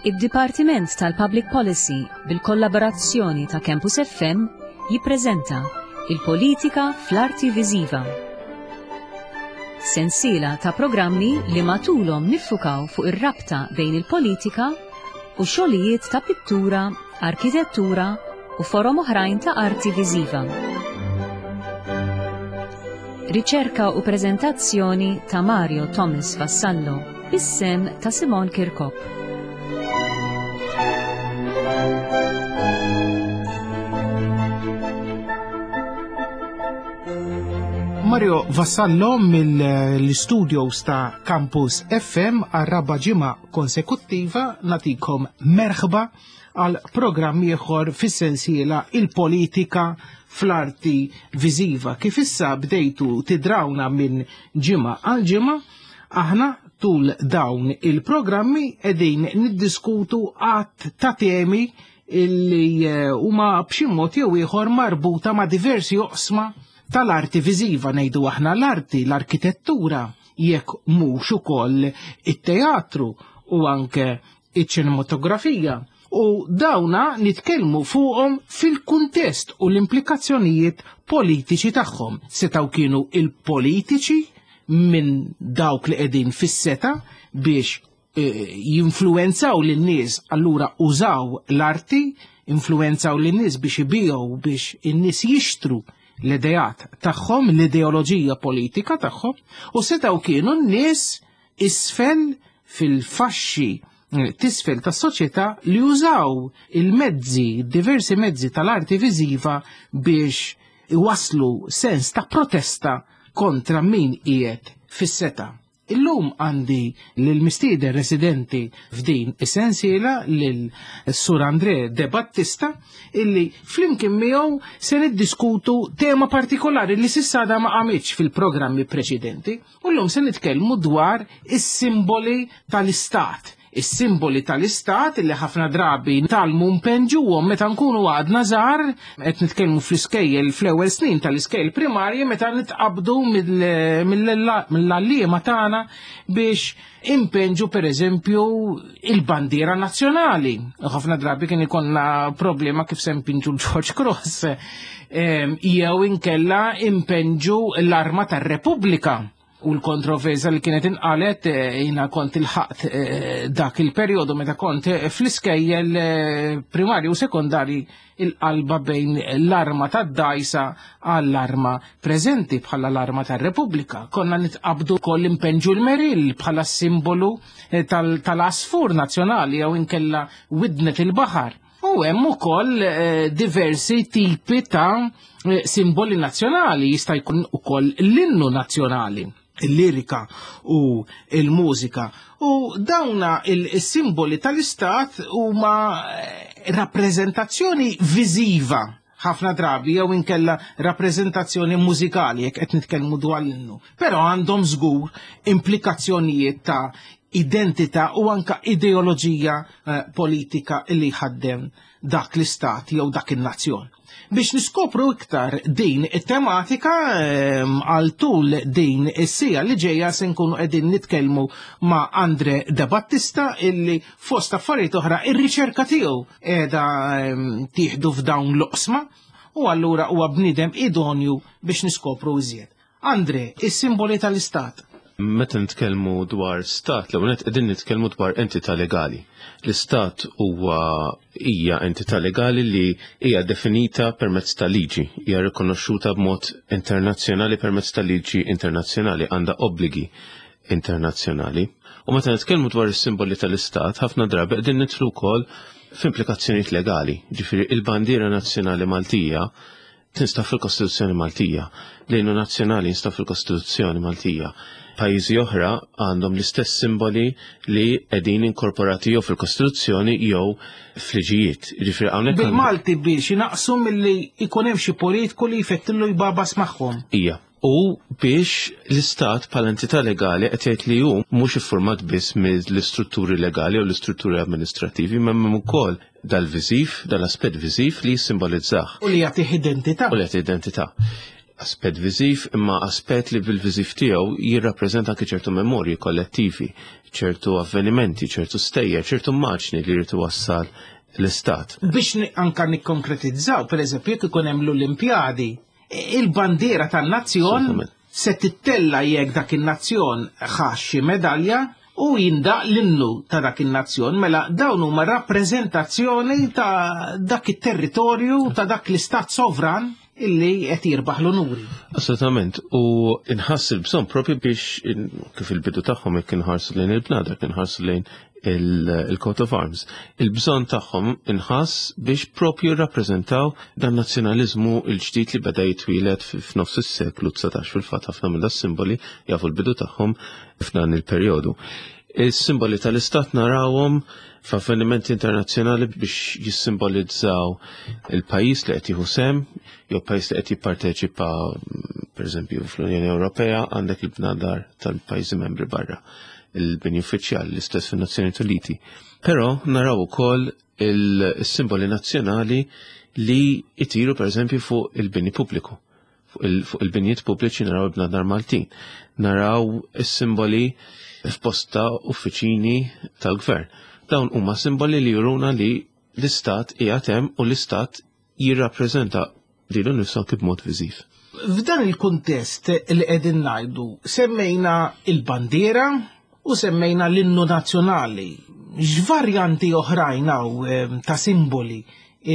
Id-Dipartiment tal-Public Policy bil-kollaborazzjoni ta' Campus FM jippreżenta Il-Politika fl-Arti Viżiva. Sensiela ta' programmi li matulhom niffukaw fuq ir-rabta bejn il-politika u xogħlijiet ta' pittura, arkitettura u forom oħrajn ta' arti viżiva. Riċerka u preżentazzjoni ta' Mario Thomas Vassallo bis-sem ta' Simon Kirkop. Mario Vassallo mill-studios ta' Campus FM għar-raba' ġimgħa konsekuttiva natikom merħba għal programm ieħor fis-sensiela Il-Politika fl-Arti Viżiva. Kif issa bdejtu tidrawna minn ġimgħa għal ġimgħa, aħna tul dawn il-programmi qegħdin niddiskutu għadd ta' temi illi eh, huma b'xi mod jew ieħor marbuta ma' diversi oqsma tal-arti viżiva ngħidu aħna l-arti, l-arkitettura, jekk mhux ukoll it-teatru u anke iċ-ċinematografija u dawna nitkellmu fuqhom fil-kuntest u l-implikazzjonijiet politiċi tagħhom. Setgħu kienu il-politiċi minn dawk li qegħdin fis-seta biex eh, jinfluwenzaw lin-nies allura użaw l-arti, influwenzaw lin-nies biex ibiegħu biex in-nies jixtru l-ideat tagħhom, l-ideoloġija politika tagħhom, u setgħu kienu n-nies isfel fil-faxxi eh, tisfel tas soċjetà li użaw il-mezzi, diversi mezzi tal-arti viżiva biex iwaslu sens ta' protesta kontra min qiegħed fis-seta. Illum għandi lil mistieden residenti f'din is-sensiela lil Sur Andre De Battista illi flimkien miegħu se niddiskutu tema partikolari li s'issa għadha ma qamitx fil-programmi preċedenti. U llum se nitkellmu dwar is-simboli tal-istat. Is-simboli tal-istat li ħafna drabi nitgħallmu npenġuhom meta nkunu għadna żgħar, qed nitkellmu fl-iskejjel fl-ewwel snin tal-iskejjel primarji meta nitqabdu mill-għalliema tagħna biex impenġu pereżempju il-bandiera nazzjonali. Ħafna drabi kien ikollna problema kif se npinġu l-George Cross. Ehm, jew inkella impenġu l-arma tar-Repubblika u l-kontroversa li kienet inqalet eh, jina kont il-ħaqt eh, dak il-perjodu meta kont eh, fl-iskejjel primarju u sekondari il-qalba bejn l-arma tad-dajsa għall-arma preżenti bħala l-arma tar-Repubblika. Konna nitqabdu koll impenġu l-meril bħala simbolu eh, tal-asfur nazzjonali jew inkella widnet il-baħar. U hemm ukoll eh, diversi tipi ta' eh, simboli nazzjonali, jista' jkun ukoll l-innu nazzjonali il-lirika u il-mużika. U dawna il-simboli tal-istat huma eh, rappreżentazzjoni viżiva ħafna drabi jew inkella rappreżentazzjoni mużikali jekk qed nitkellmu dwar l-innu. Però għandhom żgur implikazzjonijiet ta' identità u anka ideoloġija eh, politika li jħaddem dak l-istat jew dak in-nazzjon. Biex niskopru iktar din it-tematika ehm, għal tul din is-sija li ġejja se nkunu qegħdin nitkellmu ma' Andre De Battista illi fost affarijiet oħra ir-riċerka tiegħu qiegħda ehm, tieħdu f'dawn l-oqsma u allura huwa bniedem idonju biex niskopru iżjed. Andre, is-simboli tal-istat. Meta nitkellmu dwar stat, l-ewwel nett qegħdin nitkellmu dwar entità legali. L-istat huwa hija entità legali li hija definita permezz ta' liġi, hija rikonoxxuta b'mod internazzjonali permezz ta' liġi internazzjonali, għandha obbligi internazzjonali. U meta nitkellmu dwar is-simboli tal-istat, ħafna drabi qegħdin nidħlu wkoll f'implikazzjonijiet legali. Ġifieri il-bandiera nazzjonali Maltija tinstab fil-Kostituzzjoni Maltija. L-innu nazzjonali jinstab fil-Kostituzzjoni Maltija. Pajjiżi oħra għandhom l-istess simboli li qegħdin inkorporati jew fil-Kostituzzjoni jew f'liġijiet. Jiġifieri hawnhekk Bil-Malti biex inaqqsu milli jkun hemm xi politiku li jfettillu jbabas magħhom. Ija. U biex l-Istat bħala entità legali qed jgħid li hu mhux iffurmat biss mill-istrutturi legali u l-istrutturi amministrativi, imma hemm ukoll dal-viżiv, dal-aspett viżiv li jissimbolizzah. U li jagħtih identità. U li jagħtih identità. Aspett viżiv imma aspett li bil-viżiv tiegħu jirrappreżenta anke ċertu memorji kollettivi, ċertu avvenimenti, ċertu stejjer, ċertu immaġni li jrid iwassal l-istat. Biex anka nikkonkretizzaw, per eżempju, jekk ikun hemm l-Olimpjadi, il-bandiera tan-nazzjon se tittella jekk dak in-nazzjon ħa xi medalja u jindaq l-innu ta' dak in-nazzjon, mela dawn huma rappreżentazzjoni ta' dak it-territorju ta' dak l-istat sovran illi qed jirbaħ l-unuri. Assolutament, u inħass il-bżonn propju biex kif il-bidu tagħhom jekk inħarsu lejn il-bnadar, inħarsu lejn il-coat of arms. Il-bżonn tagħhom inħass biex propju jirrappreżentaw dan nazzjonaliżmu l-ġdid li beda jitwieled f'nofs is-seklu 19 fil-fatt ħafna minn simboli jafu l-bidu tagħhom f'dan il-perjodu. Is-simboli tal-istat narawhom f'avvenimenti internazzjonali biex jissimbolizzaw il-pajjiż li qed jieħu sehem jew pajjiż li qed jipparteċipa pereżempju fl-Unjoni Ewropea għandek il-bnadar tal-pajjiżi membri barra il-bini uffiċjali l-istess fin-Nazzjonijiet Uniti. Però naraw ukoll il-simboli nazzjonali li jtiru pereżempju fuq il-bini pubbliku. Fuq il-binjiet pubbliċi naraw il-bnadar Maltin. Naraw is-simboli f'posta uffiċini tal-gvern. Dawn huma simboli li juruna li l-istat qiegħed hemm u l-istat jirrappreżenta lilu nnifsu anki b'mod viżiv. F'dan il-kuntest li qegħdin ngħidu, semmejna il-bandiera u semmejna l-innu nazzjonali. X'varjanti oħrajn hawn eh, ta' simboli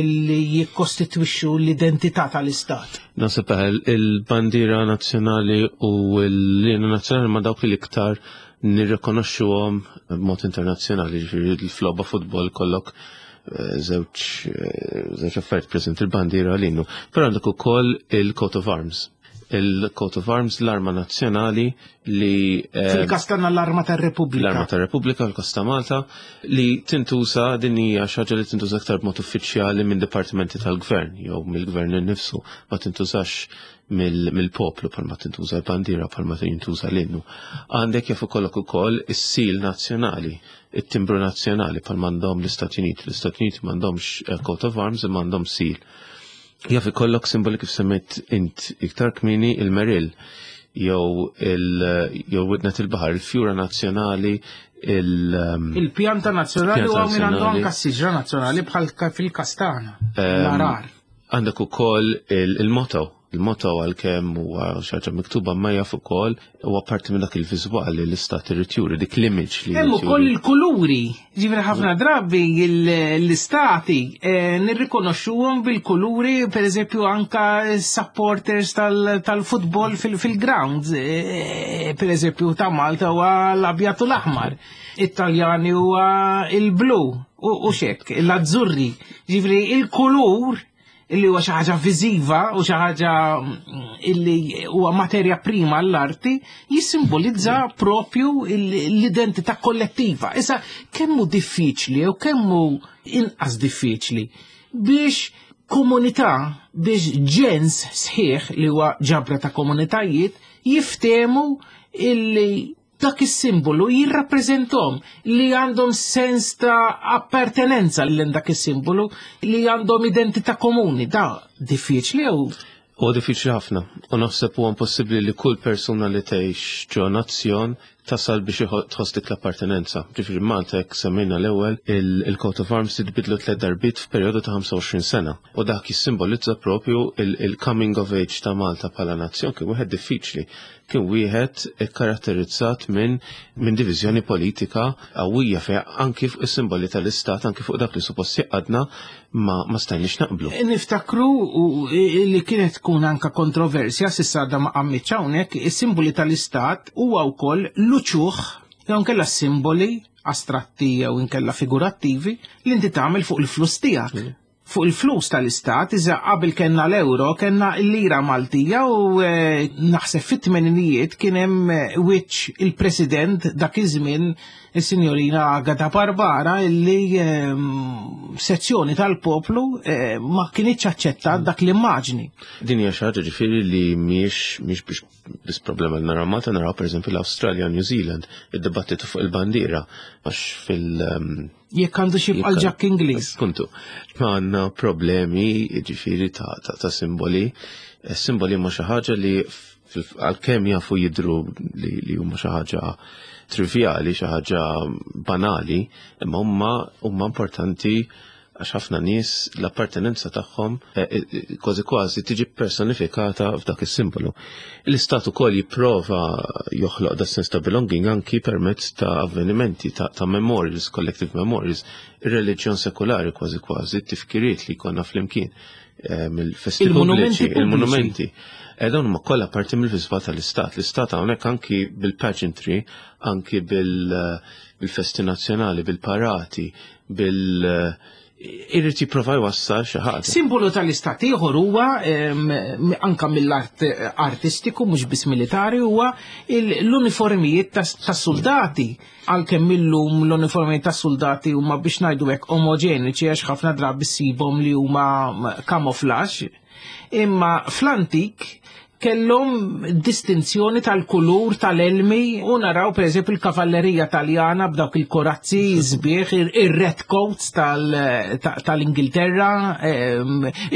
illi jikkostitwixxu l-identità tal-istat? Nasib il-bandiera nazzjonali u l-innu nazzjonali ma dawk li l-iktar nirrikonoxxuhom b'mod internazzjonali, ġifieri l-flogħba futbol kollok eh, żewġ eh, żewġ affarijiet preżent il-bandiera l-innu. Però għandek ukoll il-coat of arms. Il-coat of arms l-arma nazzjonali li eh, Fil-każ tagħna l-arma tar-Repubblika. L-arma tar-Repubblika fil-każ ta' Malta li tintuża din hija xi ħaġa li tintuża aktar b'mod uffiċjali minn dipartimenti tal-gvern jew mill-gvern innifsu ma tintużax mill-poplu bħalma tintuża l-bandiera bħalma jintuża l-innu. Għandek jaf ikollok ukoll is-sil nazzjonali, it-timbru nazzjonali bħal m'għandhom l-Istati Uniti. L-Istati Uniti m'għandhomx eh, coat of arms imma għandhom sil. Jaf ikollok simboli kif semmejt int iktar kmini il-meril jew il jew widnet il-baħar, il-fjura nazzjonali, il- ehm, Il-pjanta nazzjonali u minn għandu anka s-siġra nazzjonali bħal fil-kastana, ehm, l-arar. Għandek ukoll il-motto Il-motto għalkemm huwa xi ħaġa miktuba ma jaf ukoll huwa parti minn dak il-viżwal li l-istat irid juri dik l-image li. Hemm ukoll il-kuluri. Ġifieri ħafna drabi l-istati eh, nirrikonoxxuhom bil-kuluri, pereżempju anka supporters tal-futbol fil-grounds, eh, pereżempju ta' Malta huwa l-abjad u l-aħmar, it-Taljani huwa il-blu u xek, l-azzurri. Ġifieri il-kulur illi huwa xi ħaġa viżiva u xi ħaġa mm, illi huwa materja prima għall-arti jissimbolizza propju l-identità kollettiva. Issa kemm hu diffiċli u kemm hu inqas diffiċli biex komunità biex ġens sħiħ li huwa ġabra ta' komunitajiet jiftemu illi dak is-simbolu jirrappreżentom li għandhom sens ta' appartenenza lil dak is-simbolu li għandhom identità komuni. Da diffiċli jew Huwa diffiċli ħafna u naħseb huwa impossibbli li kull persuna li tgħix ġo nazzjon tasal biex tħoss dik l-appartenenza. Ġifieri Malta hekk semmejna l-ewwel il-coat of arms titbidlu tliet darbiet f'perjodu ta' 25 sena u dak jissimbolizza propju il-coming of age ta' Malta bħala nazzjon kien wieħed diffiċli kien wieħed ikkaratterizzat minn min diviżjoni politika qawwija fejn anki fuq is-simboli tal-istat, anki fuq dak li suppost jaqadna ma, ma stajniex naqblu. Niftakru li kienet tkun anka kontroversja s'issa għadha ma qammitx hawnhekk, is-simboli tal-istat huwa wkoll l-uċuħ jew inkella simboli astratti jew inkella figurattivi li inti tagħmel fuq il-flus tiegħek. Mm. Fuq il-flus tal-istat, iżda qabel kellna l-euro, kellna l-lira Maltija u eh, naħseb fit-tmeninijiet kien hemm eh, wiċċ il-President dak iż-żmien is-Sinjorina Agata Barbara illi ehm, sezzjoni tal-poplu eh, ma kinitx aċċettat dak l-immaġni. Din hija xi ħaġa ġifieri li mhijiex mhix biex biss problema li naraw Malta naraw pereżempju l-Awstralja u New Zealand id-dibattitu fuq il-bandiera għax fil- ehm, Jekk għandu xi jibqa' l-ġakk Ingliż. Kuntu. Ma għandna problemi ġifieri ta', ta, ta simboli. Eh, simboli huma xi ħaġa li għalkemm jafu jidru li, li huma xi ħaġa trivjali, xi ħaġa banali, imma huma huma importanti għax ħafna nies l-appartenenza tagħhom eh, eh, kważi kważi tiġi personifikata f'dak is-simbolu. L-istat ukoll jipprova joħloq da sens ta' belonging anki permezz ta' avvenimenti, ta', ta memorials, collective memorials, ir-reliġjon sekulari kważi kważi, tifkiriet li jkollna flimkien eh, mill-festi pubbliċi, il-monumenti. Dawn huma kollha parti mill-viżva tal-istat. L-istat hawnhekk anki bil-pageantry, anki bil-festi nazzjonali, bil-parati, bil irrid jipprova jwassal xi ħaġa. Simbolu tal-istat ieħor huwa anka mill-art artistiku mhux biss militari huwa l-uniformijiet tas-soldati. Għalkemm illum l-uniformijiet tas-soldati huma biex ngħidu hekk omoġeniċi għax ħafna drabi ssibhom li huma camouflage. Imma fl-antik kellhom distinzjoni tal-kulur tal-elmi u naraw pereżempju il-kavallerija Taljana b'dawk il-korazzi sbieħ, ir-red coats tal-Ingilterra,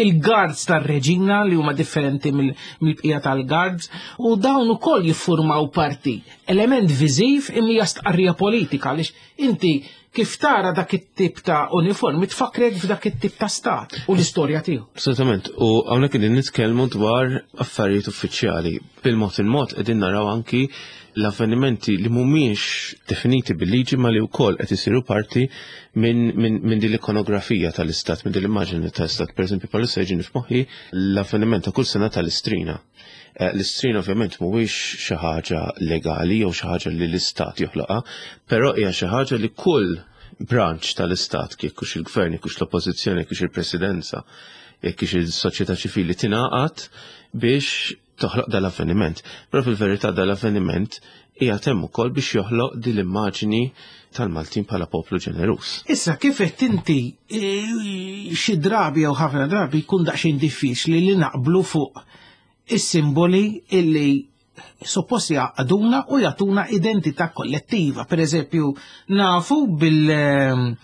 il-guards tar-reġina li huma differenti mill-bqija tal-guards u dawn ukoll jiffurmaw parti element viżiv imma hija stqarrija politika għaliex inti kif tara dak it-tip ta' uniformi tfakkrek f'dak it-tip ta' stat u l-istorja tiegħu. Assolutament, u hawnhekk qegħdin nitkellmu dwar affarijiet uffiċjali. Bil-mod il-mod qegħdin naraw anki l-avvenimenti li mhumiex definiti bil-liġi ma li wkoll qed isiru parti minn min, min din l-ikonografija tal-istat, minn din l-immaġini tal-istat. Per eżempju, bħalissa jiġini f'moħħi l-avveniment ta' kull sena tal-istrina. Eh, l-istrin ovvjament mhuwiex xi ħaġa legali jew xi ħaġa li l-istat joħloqha, però hija xi ħaġa li kull branch tal-istat, jekk hux il-gvern, jekk hux l-oppożizzjoni, jekk hux il-presidenza, jekk hux il-soċjetà ċivili tingħaqad biex toħloq dal-avveniment. Però fil-verità dal-avveniment hija hemm ukoll biex joħloq din l-immaġini tal-Maltin bħala poplu ġeneruż. Issa kif qed inti eh, xi drabi jew ħafna drabi jkun daqsxejn diffiċli li naqblu fuq is-simboli illi suppost jgħaqqduna u jagħtuna identità kollettiva. Per eżempju, nafu bil ehm,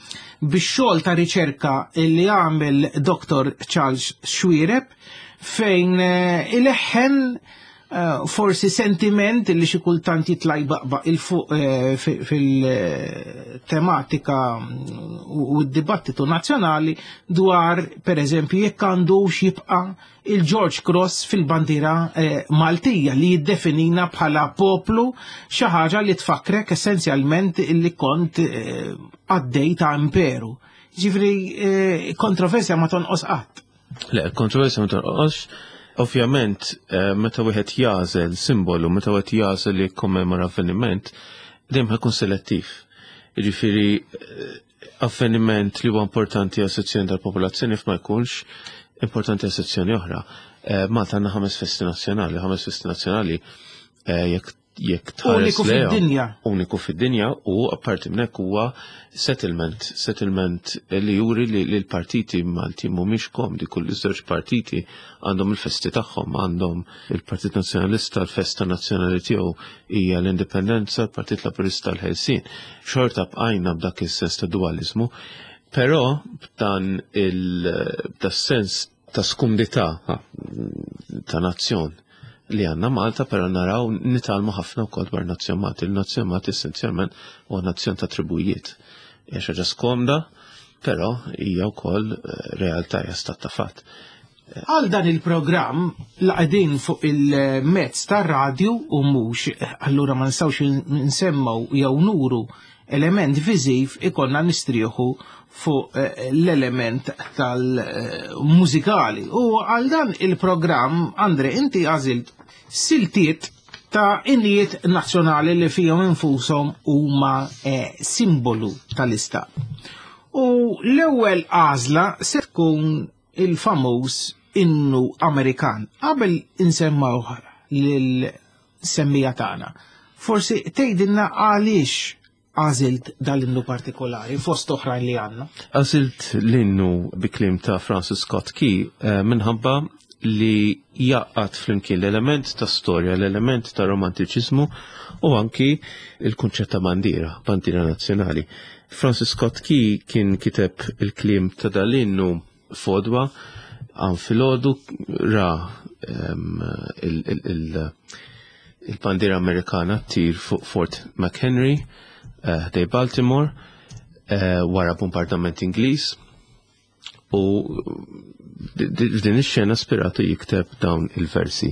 bix-xogħol ta' riċerka li għamel Dr. Charles Xuereb fejn eh, ileħħen eh, forsi sentiment li xi kultant jitla' jbaqbaq il fuq eh, fil-tematika u d-dibattitu nazzjonali dwar per eżempju jekk għandux jibqa' il-George Cross fil-bandiera eh, Maltija li jiddefinina bħala poplu xi ħaġa li tfakkrek essenzjalment li kont eh, għaddej ta' imperu. Ġifri, eh, kontroversja ma tonqos qatt. Le, kontroversja ma tonqos. Ovvjament, meta wieħed jażel simbolu, meta wieħed jażel li jikkommemora avveniment, dejjem ħakun selettiv. Jiġifieri avveniment li huwa importanti għal sezzjoni tal-popolazzjoni f'ma jkunx importanti għal sezzjoni oħra. Eh, Malta għandna ħames festi nazzjonali, ħames festi nazzjonali eh, jekk jekk tħares Uniku fid-dinja. Uniku fid-dinja u apparti minn hekk huwa settlement, settlement li juri li l-partiti Malti mhumiex komdi kull iż-żewġ partiti għandhom il-festi tagħhom, għandhom il-Partit Nazzjonalista l-festa nazzjonali tiegħu hija l-indipendenza, l-Partit Laburista l-ħelsien. Xorta bqajna b'dak is-sens ta' dualizmu, però b'dan il-sens ta' skumdità ta' nazzjon li għanna Malta, però naraw nitalmu ħafna wkoll dwar nazzjon Malti. Il-nazzjon Malti essenzjalment huwa nazzjon ta' tribujiet. Hija xi ħaġa skomda, però hija wkoll eh, realtà hija stat ta' fatt. Għal dan il-programm la qegħdin fuq il-mezz tar-radju u mhux allura ma nistgħux nsemmaw jew nuru element viżiv ikollna nistrieħu fuq eh, l-element tal-mużikali. U għal dan il-programm, Andre, inti għażilt siltiet ta' innijiet nazzjonali li fihom infushom huma eh, simbolu tal-istat. U l-ewwel għażla se tkun il-famuż innu Amerikan. Qabel insemmawh lil semmija tagħna. Forsi tgħidilna għaliex għażilt dal-innu partikolari fost oħrajn li għandna. Għażilt l-innu bi kliem ta' Francis Scott Key eh, minħabba li jgħaqqad flimkien l-element ta' storja, l-element ta' romantiċiżmu u anki il-kunċett ta' bandiera, bandiera nazzjonali. Francis Scott Key kien kiteb il-kliem ta' dal-innu fodwa għan filgħodu ra il-bandiera Amerikana tir fuq Fort McHenry eh, ħdej Baltimore eh, wara bombardament Ingliż u din ix-xena spiratu jikteb dawn il-versi.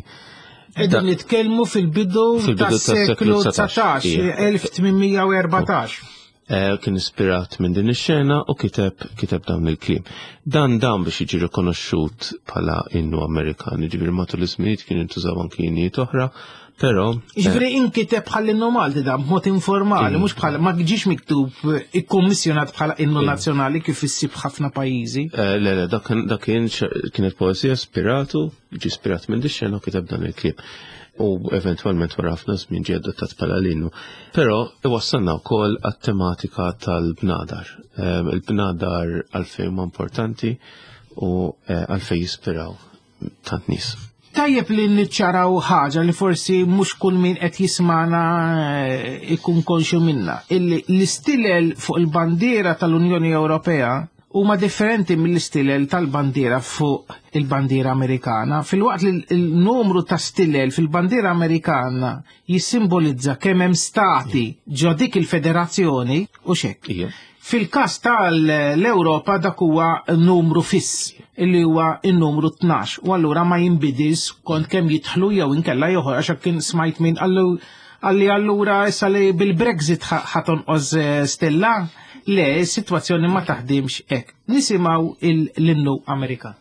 Qegħdin nitkellmu fil-bidu tas-seklu 19, 1814. Eh, kien ispirat minn din ix-xena u kiteb kiteb dawn il-kliem. Dan dan biex jiġi rikonoxxut bħala innu Amerikan, jiġifieri matul iż-żminijiet kien intużaw anki innijiet oħra, però eh, Jiġifieri inkiteb bħal innu Malti dan b'mod informali, mhux bħal ma ġiex miktub ikkummissjonat bħala innu nazzjonali kif issib ħafna pajjiżi. Eh, le, le, dak kien kienet poeżija spiratu, ġi spirat minn dix-xena u kiteb dan il-kliem. U eventwalment wara ħafna żmien ġie adottat bħala l-innu. Però iwassalna wkoll għat-tematika tal-bnadar. Ehm, il-bnadar għalfejn huma importanti u eh, għalfejn jispiraw tant nies. Tajjeb li niċċaraw ħaġa li forsi mhux kull min qed jismana eh, ikun konxu minna. Illi l-istilel fuq il-bandiera tal-Unjoni Ewropea huma differenti mill-istilel tal-bandiera fuq il-bandiera Amerikana. Filwaqt li l-numru ta' stilel fil-bandiera Amerikana jissimbolizza kemm hemm stati ġo dik il-federazzjoni u xek. Fil-każ tal-Ewropa dak huwa numru fiss illi huwa n-numru 12 u allura ma jinbidilx kont kemm jidħlu jew inkella joħor għax kien smajt min qallu għalli allura issa li bil-Brexit ħatonqos eh, stella. Le, is-sitwazzjoni ma taħdimx hekk. Nisimgħu l-innu Amerikan.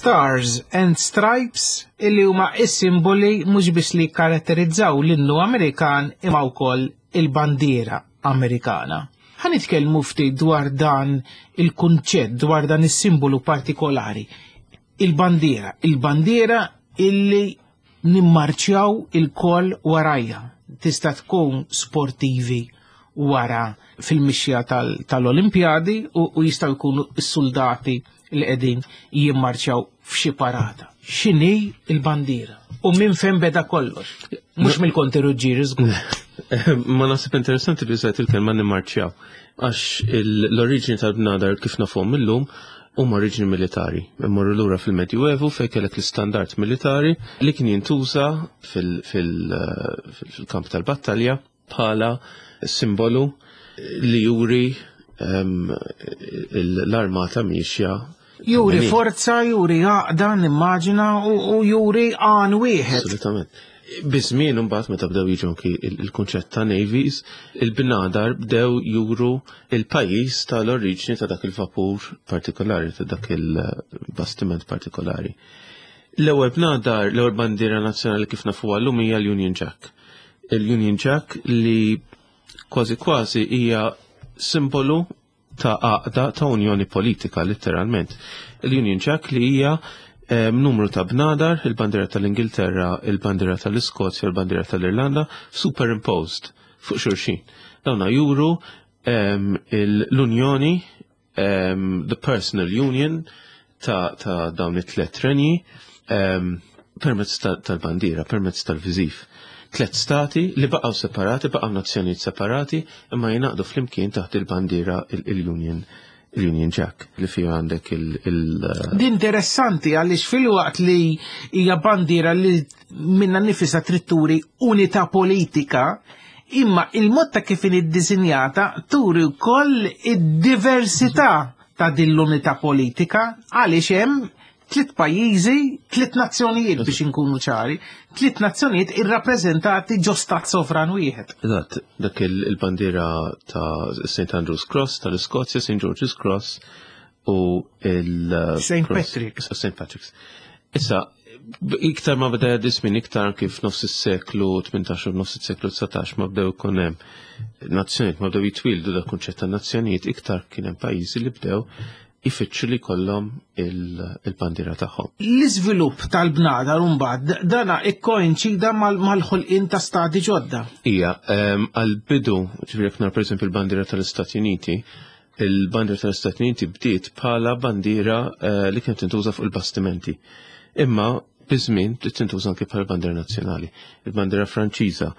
Stars and Stripes illi huma is-simboli mhux biss li karatterizzaw l-innu Amerikan imma wkoll il-bandiera Amerikana. Ħa nitkellmu ftit dwar dan il-kunċett, dwar dan is-simbolu partikolari. Il-bandiera, il-bandiera illi nimmarċjaw il-koll warajja. Tista' tkun sportivi wara fil-mixja tal-Olimpjadi u jistgħu jkunu s-soldati li qegħdin jimmarċjaw. f'xi parata. X'inhi l-bandiera? U minn fejn beda kollox? Mhux mill-Konti Ruġġieri żgur. Ma naħseb interessanti li użajt il-kelma nimmarċjaw. Għax l-oriġini tal-bnadar kif nafhom illum huma oriġini militari. Immorru lura fil-Medjuevu fejn kellek l-istandard militari li kien jintuża fil-kamp tal-battalja bħala simbolu li juri l-armata miexja. Juri forza, juri għaqda, nimmaġina, u juri għan wieħed. Assolutament. Biż-żmien imbagħad meta bdew jiġu anki il-kunċett ta' navies, il-bnadar bdew juru il-pajjiż tal-oriġni ta' dak il-vapur partikolari, ta' dak il-bastiment partikolari. L-ewwel bnadar, l-ewwel bandiera nazzjonali kif nafuha llum hija l-Union Jack. Il-Union Jack li kważi kważi hija simbolu ta' għaqda ta' unjoni politika letteralment. Il-Union Jack li hija numru ta' bnadar, il-bandiera tal-Ingilterra, il-bandiera tal-Iskozja, il-bandiera tal-Irlanda, superimposed fuq xulxin. Dawna juru l-unjoni, the personal union ta' dawn it-tlet renji permezz tal-bandiera, permezz tal-viżiv. Tlet stati li baqgħu separati, baqgħu nazzjonijiet separati, imma jingħaqdu flimkien taħt il-bandiera il-Union il-Union Jack li fija għandek il- Din interessanti għaliex fil-waqt li hija bandiera li minna nifisa trid turi unità politika, imma il-mod ta' kif inhi ddisinjata turi wkoll id-diversità ta' din l-unità politika għaliex hemm tliet pajjiżi, tliet nazzjonijiet biex inkunu ċari, tliet nazzjonijiet irrappreżentati ġo stat sovran wieħed. Eżatt, dak il-bandiera ta' St. Andrew's Cross tal-Iskozja, St. George's Cross u il- St. Patrick's. St. Patrick's. Issa, iktar ma beda jgħaddi iktar kif nofs is-seklu 18 u nofs is-seklu 19 ma bdew ikun hemm nazzjonijiet, ma bdew jitwildu dak kunċett ta' nazzjonijiet, iktar kien hemm pajjiżi li bdew ifittxu li kollhom il-bandiera tagħhom. L-iżvilupp tal-bnadar mbagħad dana ikkoinċida mal-ħolqien ta' stati ġodda. Ija, għal-bidu, ġifieri jekk nara pereżempju il-bandiera tal-Istati Uniti, il-bandiera tal-Istati Uniti bdiet bħala bandiera li kienet tintuża fuq il-bastimenti. Imma biż-żmien bdiet tintuża anke bħala bandiera nazzjonali. Il-bandiera Franċiża,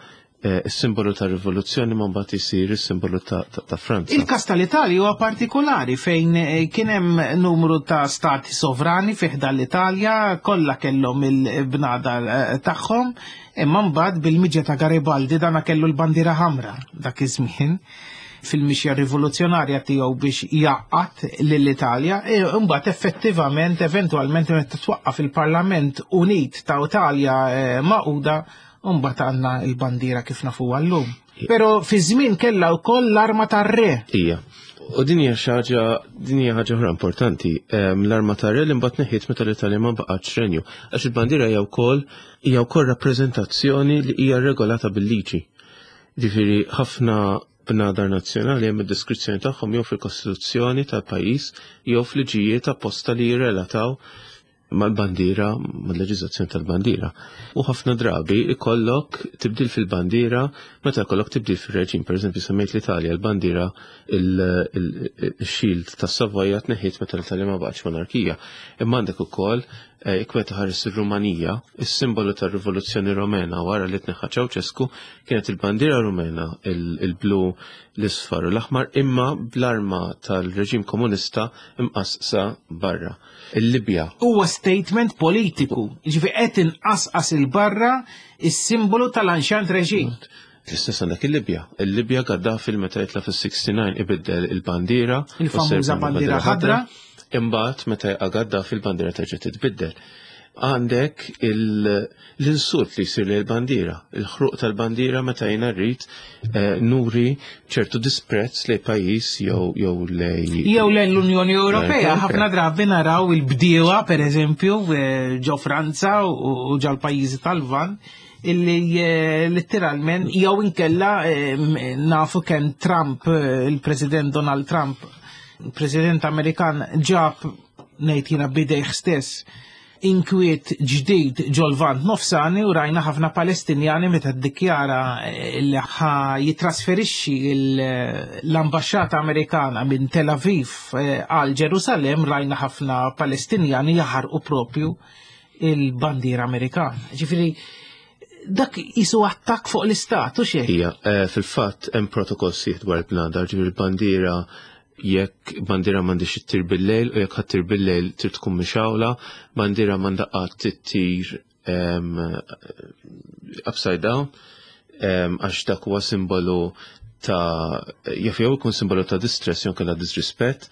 is-simbolu ta' rivoluzzjoni ma mbagħad isir is-simbolu ta' Franza. Il-każ tal-Italja huwa partikolari fejn kien hemm numru ta' stati sovrani fi ħdan l-Italja, kollha kellhom il-bnadar tagħhom, imma mbagħad bil-miġja ta' Garibaldi dana kellu l-bandiera ħamra dak iż-żmien fil-mixja rivoluzzjonarja tiegħu biex jgħaqqad lill-Italja, imbagħad effettivament eventwalment meta twaqqaf il-Parlament Unit ta' Italja Magħquda, mbagħad għandna l-bandiera kif nafuha llum. Però fi żmien kellha wkoll l-arma tar-re. Ija. U din hija xi ħaġa, din hija ħaġa oħra importanti. L-arma tar-re li mbagħad neħiet meta l-Italja ma baqgħetx renju. Għax il-bandiera hija wkoll rappreżentazzjoni li hija regolata bil-liġi. Ġifieri ħafna bnadar nazzjonali hemm id-deskrizzjoni tagħhom jew fil-Kostituzzjoni tal-pajjiż jew f'liġijiet apposta li jirrelataw mal-bandiera, mal-leġiżlazzjoni tal-bandiera. U ħafna drabi ikollok tibdil fil-bandiera meta jkollok tibdil fil-reġim. Per eżempju, semmejt l-Italja, l-bandiera, il-shield tas-Savoja tneħħiet meta l-Italja ma baqgħetx monarkija. Imma għandek ukoll jekk meta ħares ir-Rumanija, is-simbolu tar-Rivoluzzjoni Rumena wara li tneħħa Ceausescu kienet il-bandiera Rumena, il-blu, l-isfar u l-aħmar, imma bl-arma tal-reġim komunista imqasqsa barra. Il-Libja. Huwa statement politiku, ġifi qed inqasqas il-barra is-simbolu tal-anxant reġim. L-istess għandek il-Libja. Il-Libja Gaddafi meta jitla fis-69 ibiddel il-bandiera. Il-famuża bandiera ħadra. Imbagħad meta jaqa' Gaddafi il-bandiera terġa' titbiddel. Għandek l-insult li jsir lil bandiera, il-ħruq tal-bandiera meta jiena rrid nuri ċertu disprezz lejn pajjiż jew lej Jew lejn l-Unjoni Ewropea. Ħafna drabi naraw il-bdiewa, per eżempju, ġo Franza u ġo l-pajjiżi tal-Lvant, illi letteralment jew inkella nafu kemm Trump, il-President Donald Trump, il-President Amerikan, ġab ngħid jiena bidejh stess. inkwiet ġdid ġol-Lvant Nofsani u rajna ħafna Palestinjani meta ddikjara eh, li ħa jitrasferixxi l-ambaxxata Amerikana minn Tel Aviv eh, għal Ġerusalemm rajna ħafna Palestinjani jaħarqu propju il-bandiera Amerikana. Ġifieri dak jisu attakk fuq l-istat u xejn. Ija, eh, fil-fatt hemm protokoll sieħ dwar il-bnadar, ġifieri l-bandiera jekk bandiera m'għandix ittir bil-lejl u jekk ħattir bil-lejl trid tkun mixawla, bandiera m'għandha qatt tittir upside down għax dak huwa simbolu ta' jaf jew ikun simbolu ta' distress jew kellha disrispett.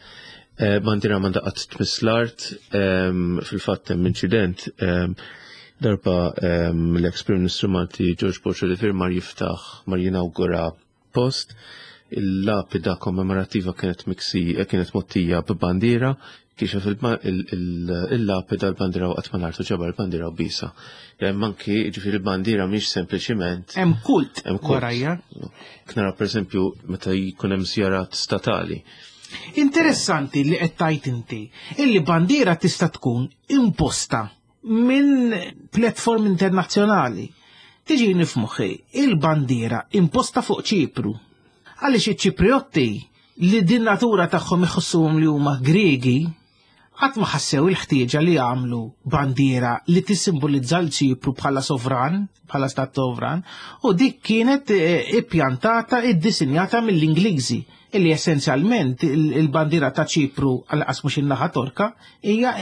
Eh, bandiera m'għandha qatt tmiss l-art, fil-fatt hemm inċident darba l-ex Prim Ministru Malti George Borg Olivier mar jiftaħ mar jinawgura post. Il-lapida kommemorattiva kienet miksi eh, kienet mottija b'bandiera, kixef il-lapida l-bandiera waqt mal-art u ġabar il-bandiera u bisa. Hemm anki ġifieri il-bandiera mhix sempliċiment. Hemm kult hemm kult. Warajja. Nara pereżempju meta jkun hemm żjarat statali. Interessanti li qed tajt inti illi bandiera tista' tkun imposta minn platform internazzjonali. Tiġini f'moħħi il-bandiera imposta fuq Ċipru. Għaliex iċ-Ċipriotti li din natura tagħhom iħossuhom li huma Griegi, qatt ma ħassew il-ħtieġa li jagħmlu bandiera li tissimbolizza l-Ċipru bħala sovran, bħala stat sovran, u dik kienet eh, ippjantata, iddisinjata mill-Ingliżi illi essenzjalment il-bandiera ta' Ċipru għal mhux in-naħa Torka hija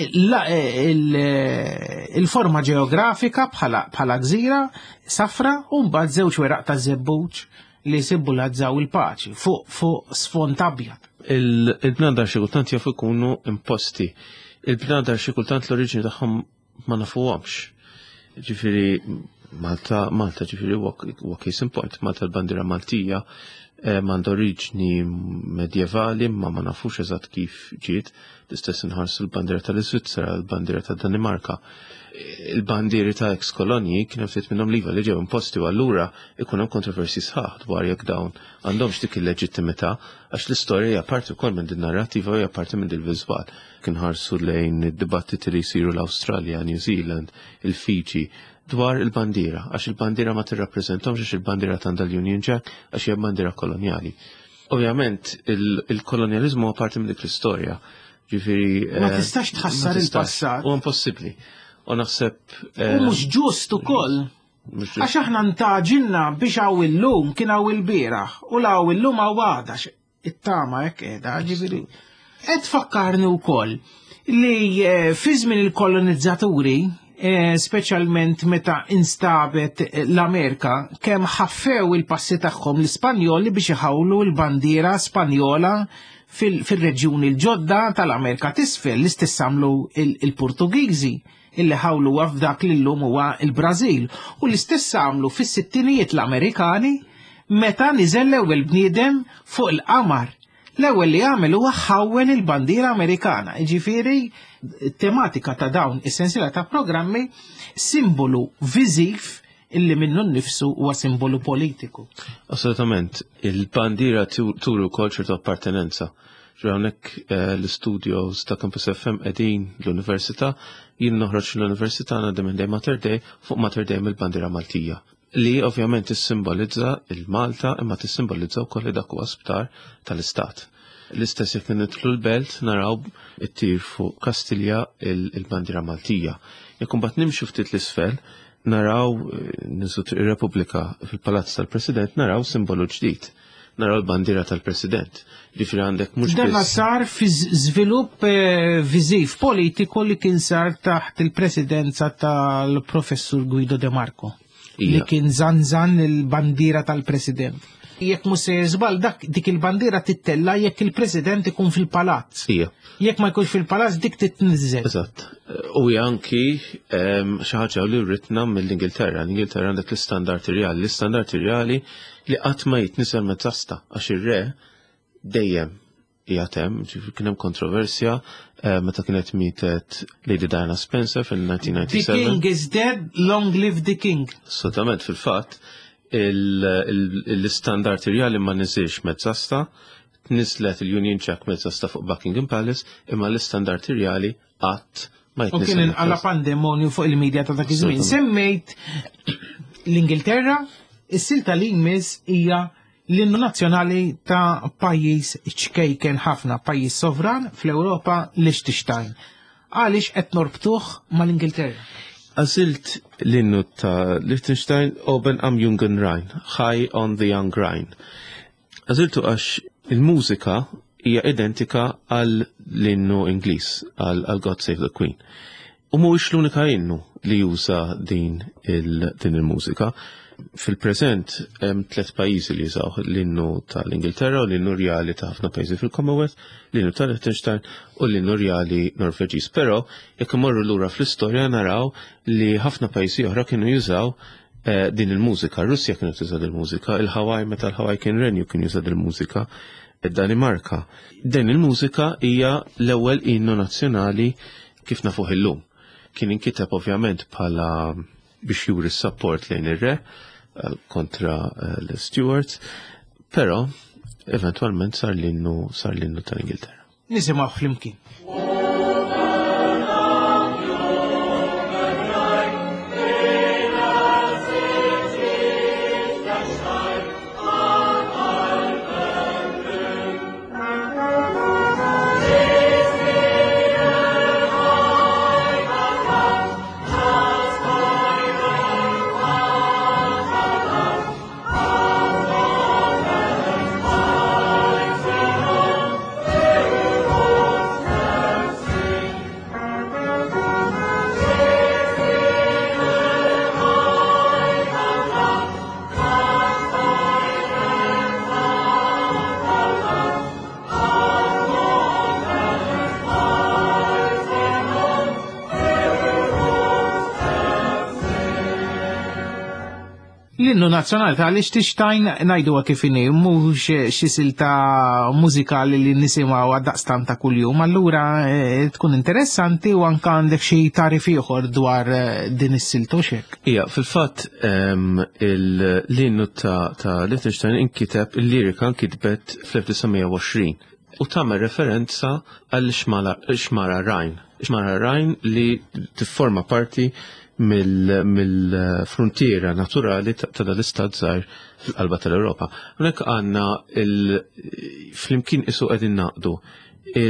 il-forma ġeografika bħala gżira safra u mbagħad żewġ weraq ta' żebbuġ li simbolizzaw il-paċi fuq fuq sfond abjad. Il-bnadar xi kultant jafu jkunu imposti. Il-bnadar xi kultant l-oriġini tagħhom ma nafuhomx. Ġifieri Malta, Malta ġifieri huwa case in point, Malta l-bandiera Maltija eh, m'għandha oriġni medjevali ma ma nafux eżatt kif ġiet, l-istess inħarsu l-bandiera tal-Iżvizzera, l-bandiera tad-Danimarka. Il-bandieri ta' ex kolonji kien hemm ftit minnhom liva li ġew imposti u allura ikun hemm kontroversi sħaħ dwar jekk dawn għandhomx dik il-leġittimità għax l-istorja hija parti wkoll minn din narrativa u hija parti minn din viżwal. Kien ħarsu lejn id-dibattiti li jsiru l-Awstralja, New Zealand, il-Fiji dwar il-bandiera, għax il-bandiera ma tirrappreżentomx għax il-bandiera tanda l-Union Jack għax hija bandiera kolonjali. Ovvjament, il-kolonjalizmu huwa parti minn dik l-istorja. Ġifieri ma eh, tistax tħassar il-passat. U impossibbli. U naħseb. U eh, mhux ġust ukoll. Għax aħna ntaġilna biex hawn illum kien hawn il-bieraħ u la hawn illum hawn għada it-tama hekk qiegħda, ġifieri. Qed tfakkarni wkoll li eh, fi żmien il-kolonizzaturi, eh, speċjalment meta instabet eh, l-Amerika, kemm ħaffew il-passi tagħhom l-Ispanjoli biex iħawlu l-bandiera Spanjola fil-reġjuni l-ġodda tal-Amerika t'isfel, l-istess għamlu il-Portugiżi illi ħawluha f'dak li llum huwa l-Brażil u l-istess għamlu fis-sittinijiet l-Amerikani meta niżel l-ewwel bniedem fuq il-qamar. L-ewwel li għamel huwa ħawwel il-bandiera Amerikana. Jiġifieri tematika ta' dawn is-sensiela ta' programmi simbolu viżiv illi minnu nnifsu huwa simbolu politiku. Assolutament, il-bandiera turi wkoll ċertu appartenenza. Hawnhekk eh, l-studios ta' Campus FM qegħdin l-Università, jien noħroġ l-Università ngħaddi minn dejjem Mater Dei fuq Mater Dei mill-bandiera Maltija li ovvjament tissimbolizza il-Malta imma tissimbolizza wkoll li dak huwa sptar tal-Istat. L-istess jekk nidħlu l-belt naraw it-tir fuq Kastilja il-bandiera Maltija. Jekk imbagħad nimxu ftit l-isfel, naraw eh, niżu Triq ir-Repubblika fil-Palazz tal-President naraw simbolu ġdid. Naraw l-bandiera tal-President. Ġifieri għandek mhux Dan sar fi żvilupp eh, viżiv politiku li kien sar taħt il-presidenza tal-Professur Guido De Marco. Li kien zanzan il-bandiera tal-President. Jekk mhux se żball dak dik il-bandiera tittella jekk il-President ikun fil-palazz. Ija. Jekk ma jkunx fil-palazz dik titniżżel. Eżatt. U hija anki ehm, xi ħaġa li rritna mill-Ingilterra. L-Ingilterra għandek l-istandard irjali, l-istandard irjali li qatt ma jitniżel mezzasta għax ir-re dejjem qiegħed hemm, ġifieri kien hemm kontroversja eh, meta kienet mietet Lady Diana Spencer fil-1997. The king is dead, long live the king. Assolutament fil-fatt l-istandard irjali ma niżilx mezzasta, tniżlet il-Union Jack mezzasta fuq Buckingham Palace, imma l-istandard irjali qatt Ma U kien inqala pandemonju fuq il-medja ta' dak iż-żmien. Semmejt l-Ingilterra, is-silta li jmiss hija l-innu nazzjonali ta' pajjiż ċkejken ħafna, pajjiż sovran fl-Ewropa, Liechtenstein. Għaliex qed norbtuh mal-Ingilterra? Għażilt l-innu ta' Liechtenstein, Oben am Jungen Rhein, High on the Young Rhine. Għażiltu għax il-mużika hija identika għal l-innu Ingliż, għal God Save the Queen. U mhuwiex l-unika innu li juża din il-mużika. Fil-preżent hemm tliet pajjiżi li jużaw l-innu tal-Ingilterra u l-innu rjali ta' ħafna pajjiżi fil-Commonwealth, l-innu tal-Liechtenstein u l-innu rjali Norveġiż. Però jekk imorru lura fl-istorja naraw li ħafna pajjiżi oħra kienu jużaw din il-mużika. Russja kienu tuża il-mużika, il-Hawaii meta l-Hawaii kien renju kien juża il-mużika, id-Danimarka. Din il-mużika hija l-ewwel innu nazzjonali kif nafuh illum. Kien inkiteb ovvjament bħala biex juri s-support lejn ir-re kontra l-Stuarts, però eventwalment sar l-innu tal-Ingilterra. Nisimgħu flimkien. L-innu nazzjonali ta' Liechtenstein ngħiduha kif inhi, mhux xi silta mużikali li nisimgħu għad-daqstan ta' kuljum, allura tkun interessanti u anke għandek xi tarif ieħor dwar din is-silta u x'hekk. Ija, fil-fatt l-innu ta' Liechtenstein inkiteb, il-lirika nkitbet fl-1920 u tagħmel referenza għal xmara Rhine. Xmara Rhine li tifforma parti mill-frontiera naturali ta' dal-istat żgħir fil-qalba tal-Ewropa. Hawnhekk għandna flimkien isu qegħdin naqdu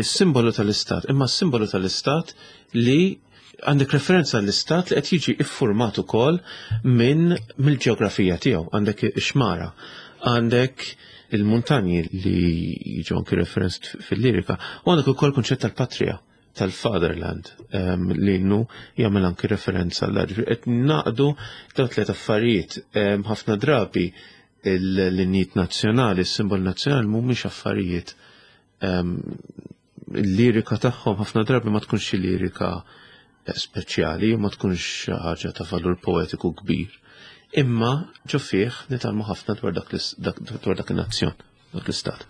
simbolu tal-istat, imma simbolu tal-istat li għandek referenza l-istat li qed jiġi iffurmat ukoll minn mill-ġeografija tiegħu, għandek ix-xmara, għandek il-muntanji li jiġu anki referenz fil-lirika, u għandek ukoll kunċett tal-patrija, tal-fatherland, li innu jagħmel anki referenza l ġifieri qed naqdu dawn tliet affarijiet. Ħafna drabi l-innijiet nazzjonali, s-simbol nazzjonali mhumiex affarijiet, il-lirika tagħhom ħafna drabi ma tkunx xi lirika speċjali, ma tkunx ħaġa ta' valur poetiku kbir. Imma ġo fih nitgħallmu ħafna dwar dak in-nazzjon, dak l-istat.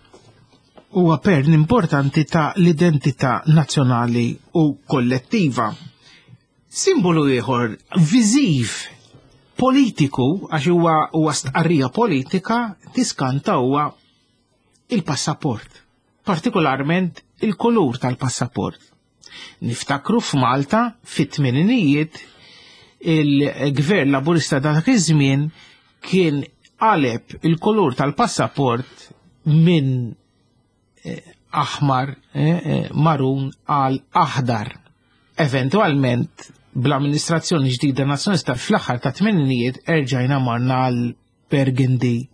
Huwa pern importanti ta' l-identità nazzjonali u kollettiva. Simbolu ieħor viżiv politiku, għax huwa stqarrija politika, tiskanta huwa il-passaport, partikolarment il-kulur tal-passaport. Niftakru f'Malta fit-tmeninijiet il-gvern laburista dak iż-żmien kien qaleb il-kulur tal-passaport minn aħmar marun għal aħdar. Eventualment, bl-amministrazzjoni ġdida nazzjonalista fl-aħħar ta' tmeninijiet erġajna marna għal burgundy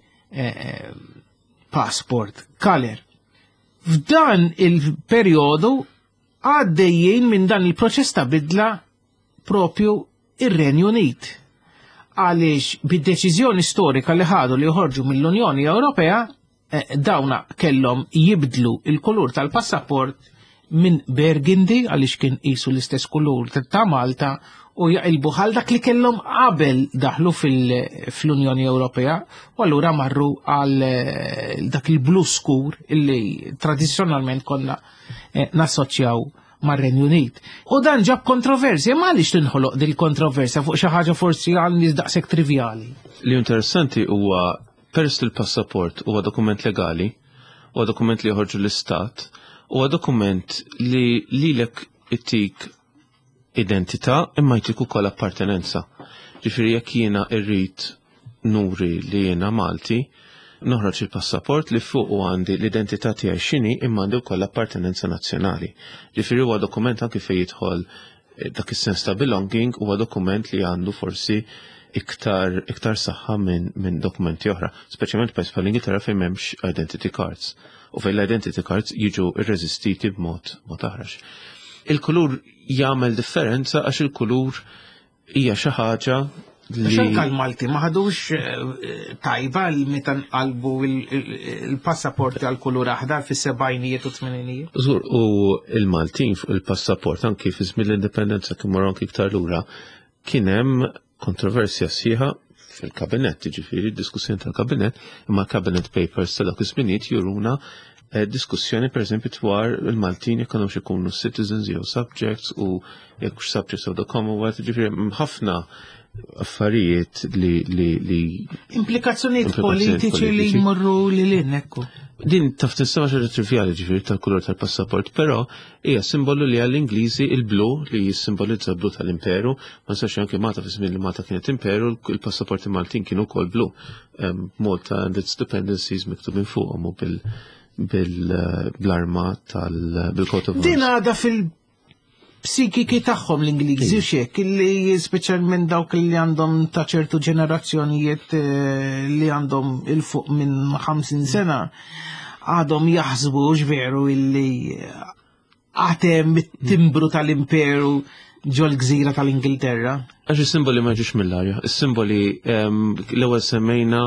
passport color. F'dan il-perjodu għaddejjin minn dan il-proċess ta' bidla propju ir-Renju Unit. Għaliex bid-deċiżjoni storika li ħadu li joħorġu mill-Unjoni Ewropea, dawna kellhom jibdlu il-kulur tal-passaport minn burgundy, għaliex kien qisu l-istess kulur ta' Malta, u jaqilbu għal dak li kellhom qabel daħlu fl-Unjoni Ewropea, u allura marru għal dak il-blu skur illi tradizzjonalment konna nassoċjaw mar-Renju Unit. U dan ġab kontroversja, ma għaliex tinħoloq dil-kontroversja fuq xi ħaġa forsi għal nies daqshekk trivjali? Li interessanti huwa peress li l-passaport huwa dokument legali, huwa dokument li joħorġu l-istat, huwa dokument li lilek ittik identità imma jtik ukoll appartenenza. Ġifieri jekk jiena rrid nuri li jiena Malti, noħroġ il-passaport li fuq u għandi l-identità tiegħi x'inhi imma għandi wkoll appartenenza nazzjonali. Ġifieri huwa dokument anki fejn jidħol eh, dak is-sens ta' belonging huwa dokument li għandu forsi iktar iktar saħħa minn min dokumenti oħra, speċjalment pajjiż bħal Ingilterra fejn m'hemmx identity cards u fejn l-identity cards jiġu irreżistiti b'mod mod aħrax. Il-kulur jagħmel differenza għax il-kulur hija xi ħaġa li. Xanka l-Malti ma ħadux eh, tajba l meta nqalbu il-passaporti għal kulur aħdar fis-sebgħinijiet u tmeninijiet. Żgur, u il-Maltin fuq il-passaport anki fi żmien l-indipendenza kien marru anki iktar lura kien hemm kontroversja sħiħa fil-kabinett, ġifieri diskussjoni tal-kabinett, imma cabinet papers ta' dak iż-żminijiet juruna eh, diskussjoni per eżempju dwar il-Maltin jekk għandhomx ikunu citizens jew subjects u jekk hux subjects of the Commonwealth, ġifieri ħafna affarijiet li li li Implikazzjonijiet politiċi li jmorru li lin ekku. Din taf tinstema xi trivjali ġifieri tal-kulur tal-passaport, però hija simbolu li għall-Ingliżi il-blu li jissimbolizza blu tal-imperu, ma nistax anke Malta fi żmien li Malta kienet imperu, il-passaporti Maltin kienu wkoll blu. Malta and its dependencies miktubin fuqhom u bil bil-arma tal-bil-coat of arms. Din għadha fil-psikiki tagħhom l-Ingliżi xek, li speċjalment dawk li għandhom ta' ċertu ġenerazzjonijiet eh, li għandhom il-fuq minn 50 sena għadhom jaħsbu veru illi għatem it-timbru tal-imperu ġol-gżira tal-Ingilterra. Għax is-simboli ma ġiex mill-arja, is-simboli ehm, l-ewwel semmejna